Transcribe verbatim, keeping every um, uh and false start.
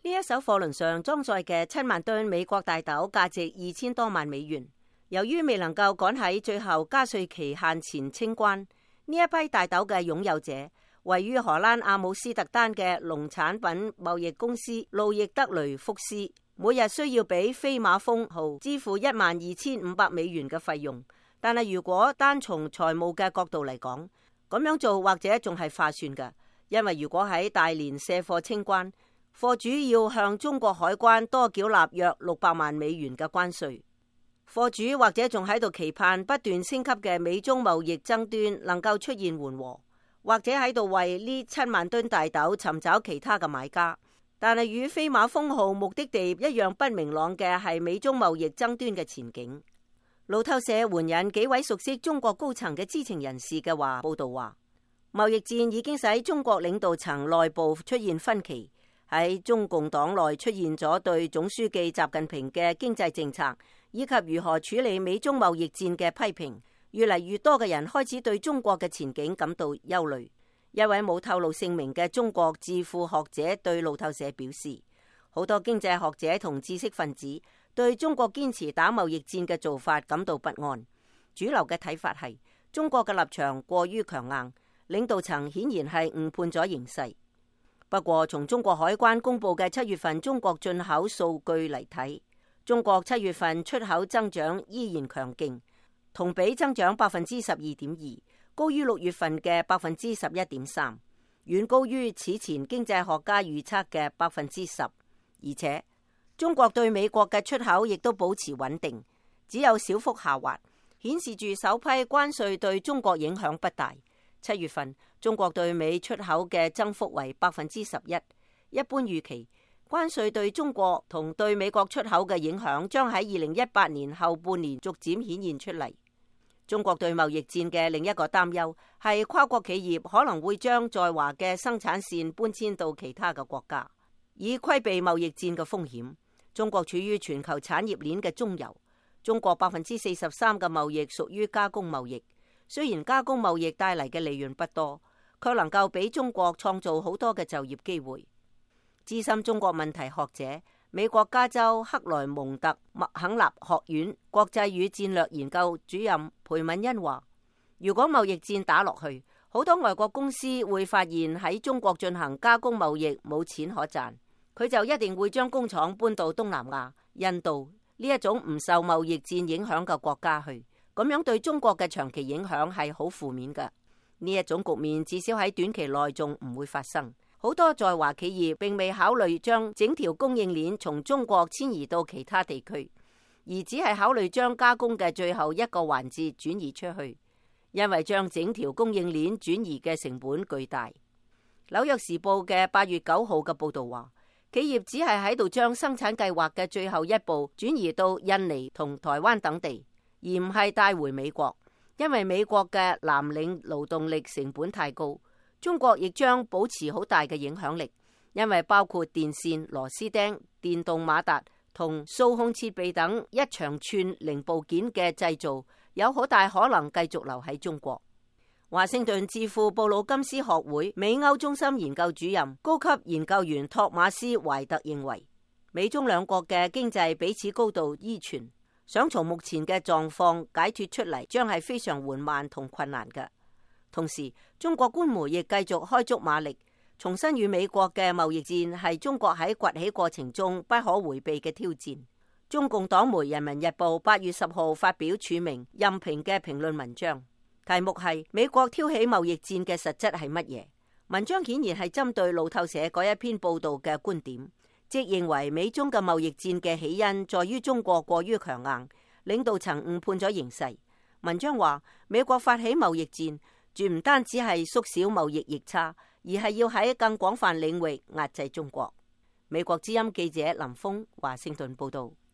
呢一艘貨輪上裝載嘅七萬噸美國大豆價值二千多萬美元。由於未能夠趕喺最後加稅期限前清關，呢一批大豆嘅擁有者位於荷蘭阿姆斯特丹嘅農產品貿易公司路易德雷福斯，每日需要俾飛馬蜂號支付一萬二千五百美元嘅費用。但係如果單從財務嘅角度嚟講，咁樣做或者仲係划算嘅，因為如果喺大連卸貨清關，貨主要向中國海關多繳納約六百萬美元嘅關稅。貨主或者仲喺度期盼不斷升級嘅美中貿易爭端能夠出現緩和，或者喺度為呢七萬噸大豆尋找其他嘅買家。但係與飛馬蜂號目的地一樣不明朗嘅係美中貿易爭端嘅前景。路透社援引幾位熟悉中國高層嘅知情人士嘅話報道話，貿易戰已經使中國領導層內部出現分歧，喺中共黨內出現咗對總書記習近平嘅經濟政策以及如何處理美中貿易戰嘅批評。越嚟越多嘅人開始對中國嘅前景感到憂慮。一位冇透露姓名嘅中國智庫學者對路透社表示，好多經濟學者同知識分子對中國堅持打貿易戰嘅做法感到不安。主流嘅睇法係中國嘅立場過於強硬，領導層顯然係誤判咗形勢。不過從中國海關公布嘅七月份中國進口數據嚟睇，中國七月份出口增長依然強勁，同比增長百分之十二點二，高於六月份嘅百分之十一點三，遠高於此前經濟學家預測嘅百分之十。而且中國對美國嘅出口亦都保持穩定，只有小幅下滑，顯示住首批關稅對中國影響不大。七月份中國對美出口嘅增幅為百分之十一，一般預期關稅對中國同對美國出口嘅影響將喺二零一八年後半年逐漸顯現出嚟。中國對貿易戰嘅另一個擔憂係跨國企業可能會將在華嘅生產線搬遷到其他嘅國家，以規避貿易戰嘅風險。中國處於全球產業鏈嘅中游，中國百分之四十三嘅貿易屬於加工貿易。雖然加工貿易帶嚟嘅利潤不多，卻能夠俾中國創造好多嘅就業機會。資深中國問題學者、美國加州克萊蒙特麥肯納學院國際與戰略研究主任裴敏恩話，如果貿易戰打落去，好多外國公司會發現喺中國進行加工貿易冇錢可賺，佢就一定會將工廠搬到東南亞、印度呢一種唔受貿易戰影響嘅國家去。咁樣對中國嘅長期影響係好負面嘅。呢一種局面至少喺短期內仲唔會發生。好多在華企業並未考慮將整條供應鏈從中國遷移到其他地區，而只係考慮將加工嘅最後一個環節轉移出去，因為將整條供應鏈轉移嘅成本巨大。紐約時報嘅八月九號嘅報道話，企業只係喺度將生產計劃嘅最後一步轉移到印尼同台灣等地，而唔係帶回美國，因為美國嘅藍領勞動力成本太高。中國亦將保持好大嘅影響力，因為包括電線、螺絲釘、電動馬達同數控設備等一長串零部件嘅製造，有好大可能繼續留喺中國。華盛頓智庫布魯金斯學會美歐中心研究主任、高級研究員托馬斯懷特認為，美中兩國嘅經濟彼此高度依存，想從目前嘅狀況解脫出嚟，將係非常緩慢同困難嘅。同時，中國官媒亦繼續開足馬力，重申與美國嘅貿易戰係中國喺崛起過程中不可回避嘅挑戰。中共黨媒《人民日報》八月十號發表署名任評嘅評論文章，題目係美國挑起貿易戰嘅實質係乜嘢？文章顯然係針對路透社嗰一篇報道嘅觀點，即認為美中嘅貿易戰嘅起因在於中國過於強硬，領導層誤判咗形勢。文章話，美國發起貿易戰，絕唔單止係縮小貿易逆差，而係要喺更廣泛領域壓制中國。美國之音記者林峰華盛頓報道。